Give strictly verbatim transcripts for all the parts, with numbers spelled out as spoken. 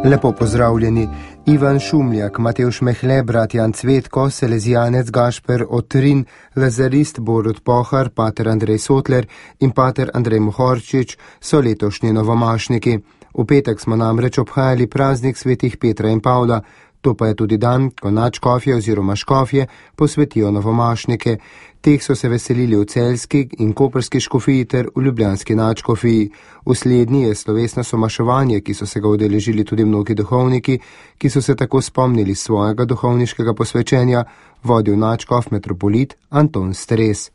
Lepo pozdravljeni. Ivan Šumljak, Matevž Mehle, brat Jan Cvetko, Salezijanec Gašper Otrin, lazarist Borut Pohar, pater Andrej Sotler in pater Andrej Mohorčič so letošnji novomašniki. V petek smo namreč obhajali praznik svetih Petra in Pavla. To pa je tudi dan, ko nadškofje oziroma škofje posvetijo novomašnike. Teh so se veselili v celjski in koprski škofiji ter v ljubljanski nadškofiji. V slednji je slovesno somaševanje, ki so se ga udeležili tudi mnogi duhovniki, ki so se tako spomnili svojega duhovniškega posvečenja, vodil nadškof metropolit Anton Stres.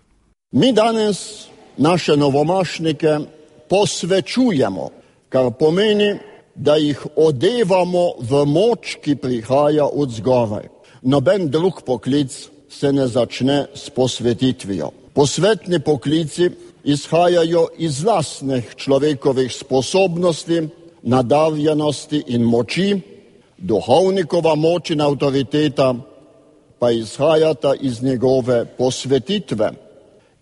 Mi danes naše novomašnike posvečujemo, kar pomeni, da jih odevamo v moč, ki prihaja od zgoraj. Noben drug poklic se ne začne s posvetitvijo. Posvetni poklici izhajajo iz lastnih človekovih sposobnosti, nadarjenosti in moči, duhovnikova moč in avtoriteta pa izhajata iz njegove posvetitve,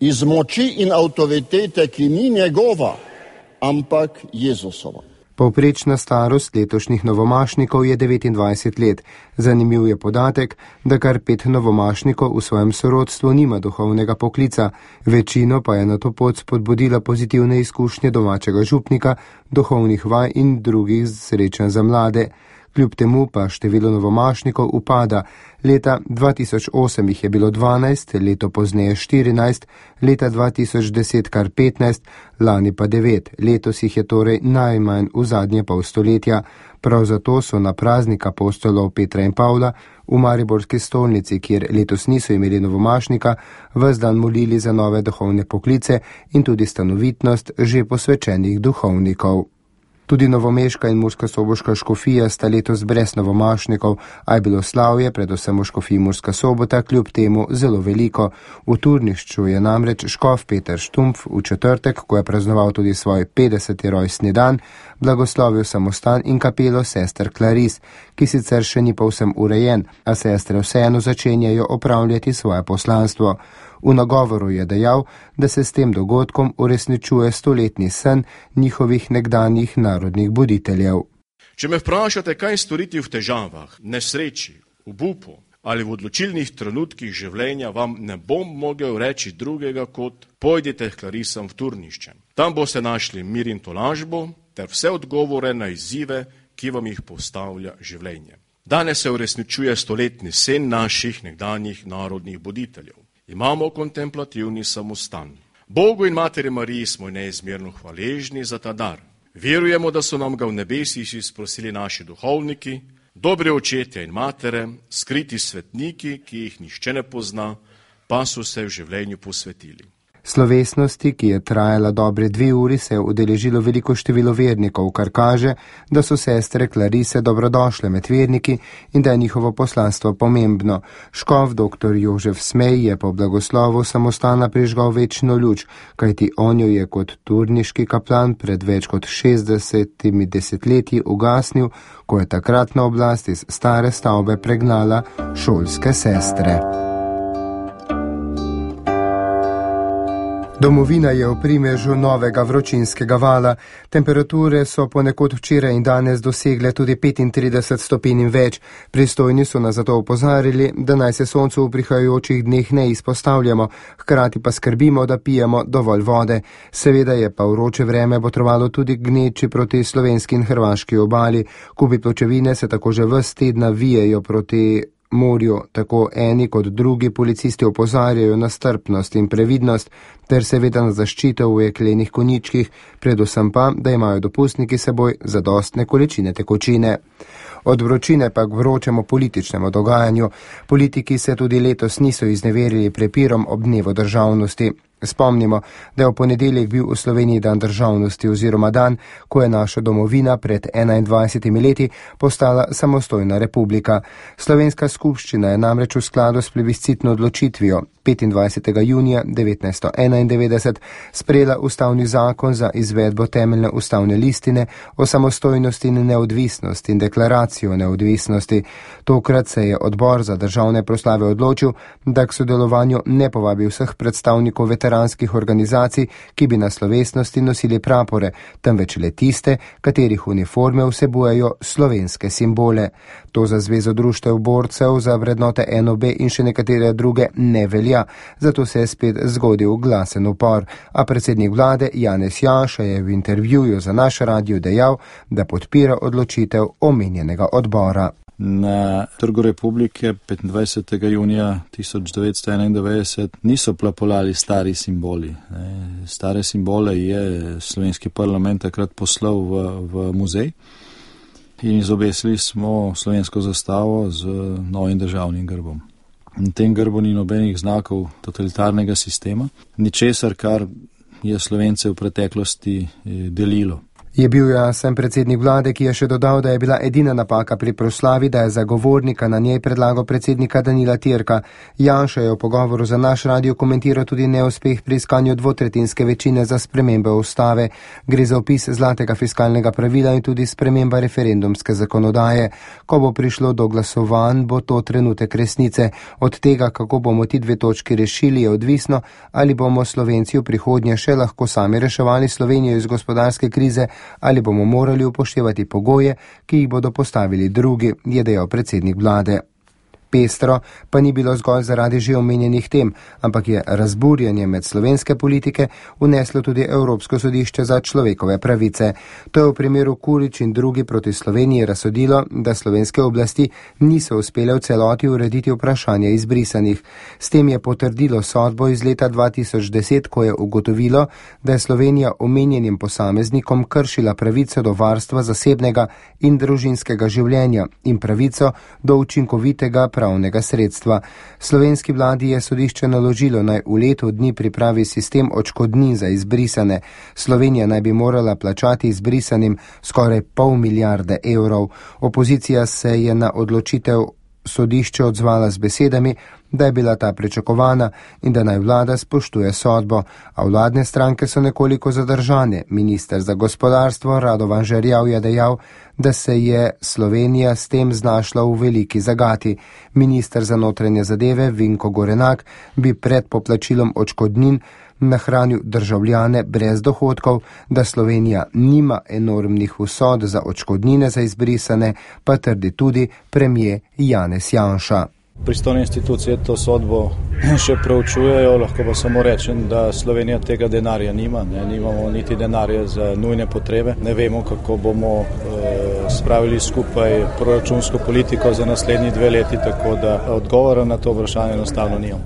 iz moči in avtoritete, ki ni njegova, ampak Jezusova. Povprečna starost letošnjih novomašnikov je devetindvajset let. Zanimiv je podatek, da kar pet novomašnikov v svojem sorodstvu nima duhovnega poklica, večino pa je na to pot spodbudila pozitivne izkušnje domačega župnika, duhovnih vaj in drugih srečanj za mlade. Kljub temu pa število novomašnikov upada. Leta dva tisoč osem jih je bilo dvanajst, leto pozneje štirinajst, leta dva tisoč deset kar petnajst, lani pa devet. Letos jih je torej najmanj v zadnje pol stoletja. Prav zato so na praznik apostolov Petra in Pavla v mariborski stolnici, kjer letos niso imeli novomašnika, ves dan molili za nove duhovne poklice in tudi stanovitnost že posvečenih duhovnikov. Tudi novomeška in murskosoboška škofija sta letos brez novomašnikov, a je bilo slavje, predvsem v škofiji Murska Sobota, kljub temu zelo veliko. V Turnišču je namreč škof Peter Štumpf v četrtek, ko je praznoval tudi svoj petdeseti rojstni dan, blagoslovil samostan in kapelo sester Klaris, ki sicer še ni povsem urejen, a sestre vseeno začenjajo opravljati svoje poslanstvo. V nagovoru je dejal, da se s tem dogodkom uresničuje stoletni sen njihovih nekdanjih narodnih buditeljev. Če me vprašate, kaj storiti v težavah, nesreči, obupu ali v odločilnih trenutkih življenja, vam ne bom mogel reči drugega kot pojdite k Klarisam v Turnišče. Tam boste našli mir in tolažbo ter vse odgovore na izzive, ki vam jih postavlja življenje. Danes se uresničuje stoletni sen naših nekdanjih narodnih buditeljev. Imamo kontemplativni samostan. Bogu in Materi Mariji smo neizmerno hvaležni za ta dar. Verujemo, da so nam ga v nebesih izprosili naši duhovniki, dobri očetje in matere, skriti svetniki, ki jih nihče ne pozna, pa so se v življenju posvetili. Slovesnosti, ki je trajala dobre dve uri, se je udeležilo veliko število vernikov, kar kaže, da so sestre Klarise dobrodošle med verniki in da je njihovo poslanstvo pomembno. Škof dr. Jožef Smej je po blagoslovu samostana prižgal večno luč, kajti on jo je kot turniški kaplan pred več kot šestdesetimi desetletji ugasnil, ko je takrat na oblast iz stare stavbe pregnala šolske sestre. Domovina je v primežu novega vročinskega vala. Temperature so ponekod včeraj in danes dosegle tudi petintrideset stopinj in več. Pristojni so nas zato opozarjali, da naj se soncu v prihajajočih dneh ne izpostavljamo, hkrati pa skrbimo, da pijemo dovolj vode. Seveda je pa vroče vreme botrovalo tudi gneči proti slovenski in hrvaški obali. Kupi pločevine se tako že ves tedna vijejo proti morju, tako eni kot drugi policisti opozarjajo na strpnost in previdnost ter seveda na zaščito v jeklenih konjičkih, predvsem pa, da imajo dopustniki seboj zadostne količine tekočine. Od vročine pa k vročemu političnemu dogajanju. Politiki se tudi letos niso izneverili prepirom ob dnevu državnosti. Spomnimo, da je v ponedeljek bil v Sloveniji dan državnosti oziroma dan, ko je naša domovina pred enaindvajsetimi leti postala samostojna republika. Slovenska skupščina je namreč v skladu s plebiscitno odločitvijo petindvajsetega junija devetnajststo enaindevetdeset sprejela ustavni zakon za izvedbo temeljne ustavne listine o samostojnosti in neodvisnosti in deklaracijo o neodvisnosti. Tokrat se je odbor za državne proslave odločil, da k sodelovanju ne povabi vseh predstavnikov veteranov veteranskih organizacij, ki bi na slovesnosti nosili prapore, temveč le tiste, katerih uniforme vsebujejo slovenske simbole. To za Zvezo društev borcev za vrednote N O B in še nekatere druge ne velja, zato se je spet zgodil glasen upor. A predsednik vlade Janez Janša je v intervjuju za naš radio dejal, da podpira odločitev omenjenega odbora. Na Trgu Republike petindvajsetega junija tisoč devetsto enaindevetdeset niso plapolali stari simboli. Stare simbole je slovenski parlament takrat poslal v, v muzej in izobesili smo slovensko zastavo z novim državnim grbom. Na tem grbu ni nobenih znakov totalitarnega sistema, ničesar, kar je Slovence v preteklosti delilo. Je bil jasen predsednik vlade, ki je še dodal, da je bila edina napaka pri proslavi, da je zagovornika na njej predlagal predsednika Danila Türka. Janša je v pogovoru za naš radio komentiral tudi neuspeh pri iskanju dvotretinske večine za spremembe ustave. Gre za opis zlatega fiskalnega pravila in tudi sprememba referendumske zakonodaje. Ko bo prišlo do glasovanj, bo to trenutek resnice. Od tega, kako bomo ti dve točki rešili, je odvisno, ali bomo Slovenci v prihodnje še lahko sami reševali Slovenijo iz gospodarske krize, ali bomo morali upoštevati pogoje, ki jih bodo postavili drugi, je dejal predsednik vlade. Pestro pa ni bilo zgolj zaradi že omenjenih tem, ampak je razburjanje med slovenske politike vneslo tudi Evropsko sodišče za človekove pravice. To je v primeru Kurić in drugi proti Sloveniji razsodilo, da slovenske oblasti niso uspele v celoti urediti vprašanja izbrisanih. S tem je potrdilo sodbo iz leta dva tisoč deset, ko je ugotovilo, da je Slovenija omenjenim posameznikom kršila pravico do varstva zasebnega in družinskega življenja in pravico do učinkovitega pravnega sredstva. Slovenski vladi je sodišče naložilo, naj v letu dni pripravi sistem odškodnin za izbrisane. Slovenija naj bi morala plačati izbrisanim skoraj pol milijarde evrov. Opozicija se je na odločitev sodišče odzvala z besedami, da je bila ta pričakovana in da naj vlada spoštuje sodbo, a vladne stranke so nekoliko zadržane. Minister za gospodarstvo Radovan Žerjav je dejal, da se je Slovenija s tem znašla v veliki zagati. Minister za notranje zadeve Vinko Gorenak bi pred poplačilom odškodnin nahranil državljane brez dohodkov, da Slovenija nima enormnih vsod za odškodnine za izbrisane, pa trdi tudi premier Janez Janša. Pristojne institucije to sodbo še preučujejo, lahko pa samo rečem, da Slovenija tega denarja nima, ne, nimamo niti denarja za nujne potrebe, ne vemo, kako bomo e, spravili skupaj proračunsko politiko za naslednji dve leti, tako da odgovora na to vprašanje enostavno nimamo.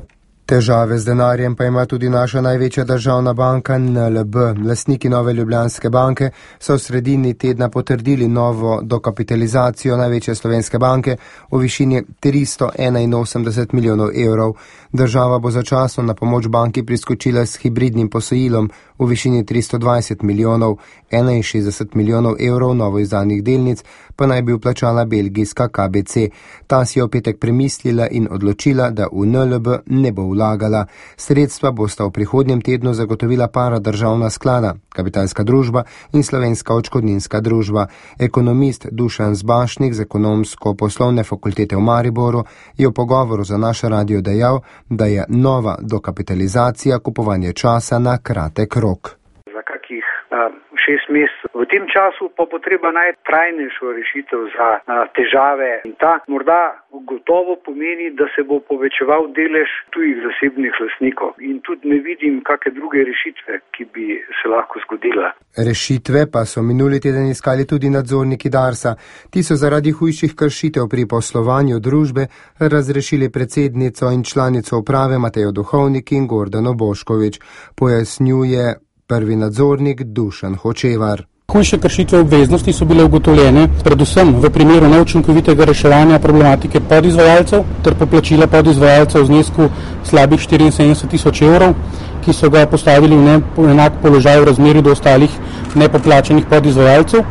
Težave z denarjem pa ima tudi naša največja državna banka N L B. Lastniki Nove Ljubljanske banke so v sredini tedna potrdili novo dokapitalizacijo največje slovenske banke v višini tristo enainosemdeset milijonov evrov. Država bo začasno na pomoč banki priskočila s hibridnim posojilom v višini tristo dvajset milijonov, enainšestdeset milijonov evrov novo izdanih delnic pa naj bi vplačala belgijska K B C. Ta si je v petek premislila in odločila, da v N L B ne bo vlagala. Sredstva bosta v prihodnjem tednu zagotovila para državna sklada, Kapitalska družba in Slovenska odškodninska družba. Ekonomist Dušan Zbašnik z Ekonomsko-poslovne fakultete v Mariboru je v pogovoru za naš radio dejal, da je nova dokapitalizacija kupovanje časa na kratek rok. Za kakih uh, šest mesecev. V tem času pa bo treba najti trajnejšo rešitev za uh, težave in ta morda gotovo pomeni, da se bo povečeval delež tujih zasebnih lastnikov in tudi ne vidim kakšne druge rešitve, ki bi se lahko zgodila. Rešitve pa so minuli teden iskali tudi nadzorniki Darsa. Ti so zaradi hujših kršitev pri poslovanju družbe razrešili predsednico in članico uprave Matejo Duhovnik in Gordano Bošković, pojasnjuje prvi nadzornik Dušan Hočevar. Hujše kršitve obveznosti so bile ugotovljene predvsem v primeru neučinkovitega reševanja problematike podizvajalcev ter poplačila podizvajalcev v znesku slabih štiriinsedemdeset tisoč evrov, ki so ga postavili v enak položaj v razmerju do ostalih nepoplačenih podizvajalcev.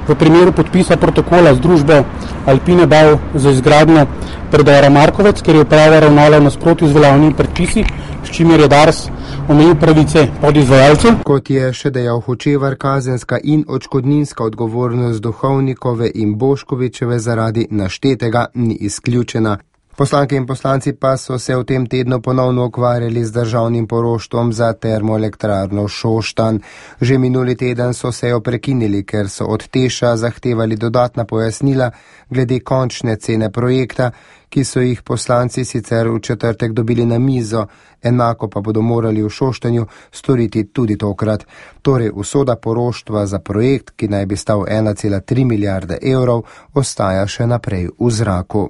V primeru podpisa protokola z družbo Alpine Bau za izgradnjo predora Markovec, ker je uprava ravnala v nasprotju z veljavnimi predpisi, s čimer je Dars omejil pravice podizvajalcev. Kot je še dejal Hočevar, kazenska in odškodninska odgovornost Duhovnikove in Boškovićeve zaradi naštetega ni izključena. Poslanke in poslanci pa so se v tem tednu ponovno ukvarjali z državnim poroštvom za termoelektrarno Šoštanj. Že minuli teden so se jo prekinili, ker so od Teša zahtevali dodatna pojasnila glede končne cene projekta, ki so jih poslanci sicer v četrtek dobili na mizo, enako pa bodo morali v Šoštanju storiti tudi tokrat. Torej, usoda poroštva za projekt, ki naj bi stal ena cela tri milijarde evrov, ostaja še naprej v zraku.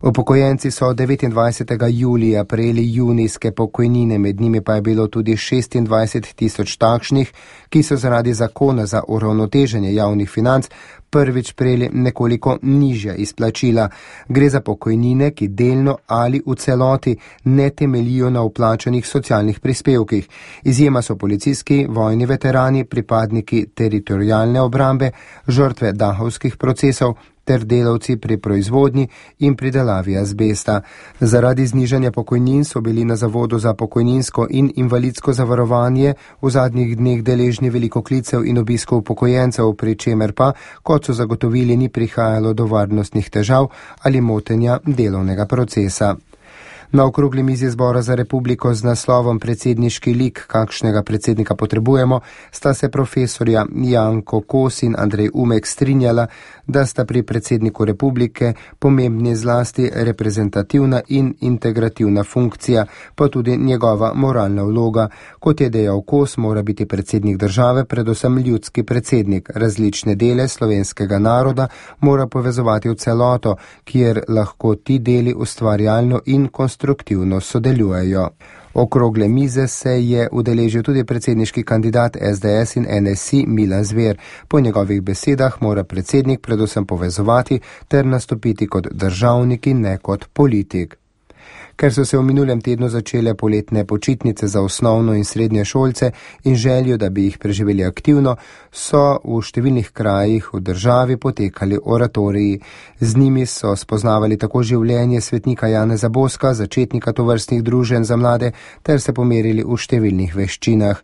Upokojenci so devetindvajsetega julija prejeli junijske pokojnine, med njimi pa je bilo tudi šestindvajset tisoč takšnih, ki so zaradi zakona za uravnoteženje javnih financ prvič prejeli nekoliko nižja izplačila. Gre za pokojnine, ki delno ali v celoti ne temeljijo na vplačanih socialnih prispevkih. Izjema so policijski, vojni veterani, pripadniki teritorialne obrambe, žrtve dahovskih procesov ter delavci pri proizvodnji in pridelavi azbesta. Zaradi znižanja pokojnin so bili na Zavodu za pokojninsko in invalidsko zavarovanje v zadnjih dneh deležni veliko klicev in obiskov upokojencev, pri čemer pa, kot so zagotovili, ni prihajalo do varnostnih težav ali motenja delovnega procesa. Na okrogli mizi Zbora za republiko z naslovom Predsedniški lik, kakšnega predsednika potrebujemo, sta se profesorja Janko Kos in Andrej Umek strinjala, da sta pri predsedniku republike pomembni zlasti reprezentativna in integrativna funkcija, pa tudi njegova moralna vloga. Kot je dejal Kos, mora biti predsednik države predvsem ljudski predsednik. Različne dele slovenskega naroda mora povezovati v celoto, kjer lahko ti deli ustvarjalno in konstruktivno sodelujejo. Okrogle mize se je udeležil tudi predsedniški kandidat S D S in N S I Milan Zver. Po njegovih besedah mora predsednik predvsem povezovati ter nastopiti kot državnik in ne kot politik. Ker so se v minulem tednu začele poletne počitnice za osnovno in srednje šolce in željo, da bi jih preživeli aktivno, so v številnih krajih v državi potekali oratoriji. Z njimi so spoznavali tako življenje svetnika Janeza Boska, začetnika tovrstnih druženj za mlade, ter se pomerili v številnih veščinah.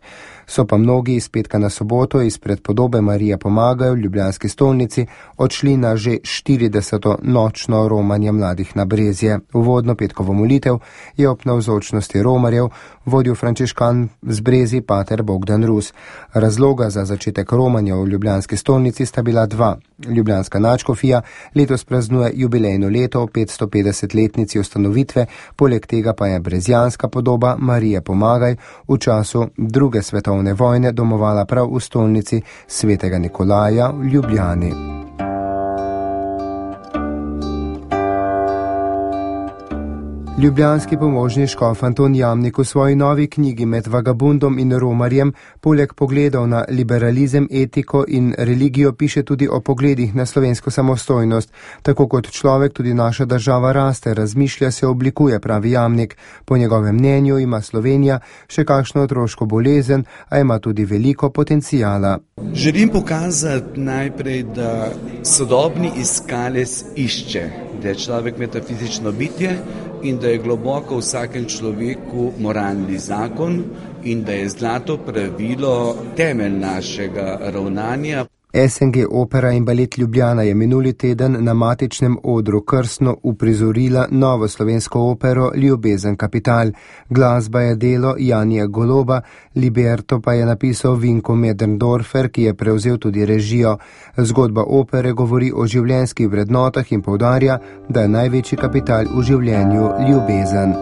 So pa mnogi iz petka na soboto izpred podobe Marije pomagajo v ljubljanski stolnici odšli na že štirideseto nočno romanje mladih na Brezje. Uvodno petkovo molitev je ob navzočnosti romarjev vodil frančiškan z Brezij pater Bogdan Rus. Razloga za začetek romanja v ljubljanski stolnici sta bila dva. Ljubljanska nadškofija letos praznuje jubilejno leto ob petstopetdesetletnici ustanovitve, poleg tega pa je brezjanska podoba Marije pomagaj v času druge svetovne vojne domovala prav v stolnici svetega Nikolaja v Ljubljani. Ljubljanski pomožni škof Anton Jamnik v svoji novi knjigi Med vagabundom in romarjem poleg pogledov na liberalizem, etiko in religijo piše tudi o pogledih na slovensko samostojnost. Tako kot človek tudi naša država raste, razmišlja, se oblikuje, pravi Jamnik. Po njegovem mnenju ima Slovenija še kakšno otroško bolezen, a ima tudi veliko potencijala. Želim pokazati najprej, da sodobni iskalec išče, da je človek metafizično bitje in da je globoko v vsakem človeku moralni zakon in da je zlato pravilo temelj našega ravnanja. S N G Opera in Balet Ljubljana je minuli teden na matičnem odru krstno uprizorila novo slovensko opero Ljubezen kapital. Glasba je delo Janija Goloba, libreto pa je napisal Vinko Medrndorfer, ki je prevzel tudi režijo. Zgodba opere govori o življenjskih vrednotah in poudarja, da je največji kapital v življenju ljubezen.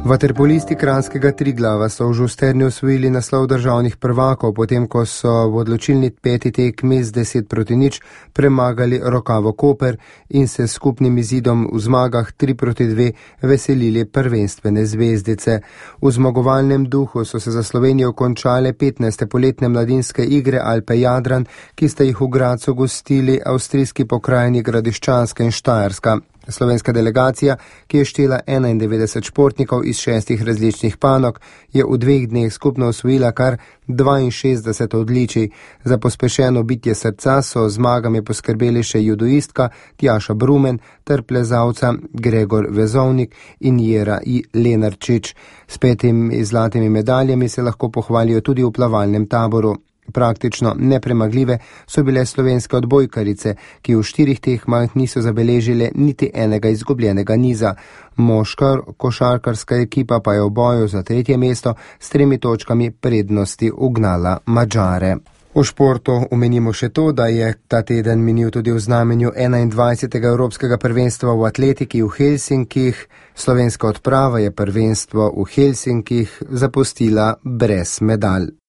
Vaterpolisti kranjskega Triglava so v Žusterni osvojili naslov državnih prvakov, potem ko so v odločilni peti tekmi z deset proti nič premagali Rokavo Koper in se s skupnim izidom v zmagah tri proti dve veselili prvenstvene zvezdice. V zmagovalnem duhu so se za Slovenijo končale petnajste poletne mladinske igre Alpe Jadran, ki sta jih v Gradcu gostili avstrijski pokrajini Gradiščanska in Štajerska. Slovenska delegacija, ki je štela enaindevetdeset športnikov iz šestih različnih panog, je v dveh dneh skupno osvojila kar dvainšestdeset odličij. Za pospešeno bitje srca so zmagami poskrbeli še judoistka Tjaša Brumen ter plezalca Gregor Vezovnik in Jera I. Lenarčič. S petimi zlatimi medaljami se lahko pohvalijo tudi v plavalnem taboru. Praktično nepremagljive so bile slovenske odbojkarice, ki v štirih tekmah niso zabeležile niti enega izgubljenega niza. Moška košarkarska ekipa pa je v boju za tretje mesto s tremi točkami prednosti ugnala Madžare. V športu omenimo še to, da je ta teden minil tudi v znamenju enaindvajsetega evropskega prvenstva v atletiki v Helsinkih. Slovenska odprava je prvenstvo v Helsinkih zapustila brez medalj.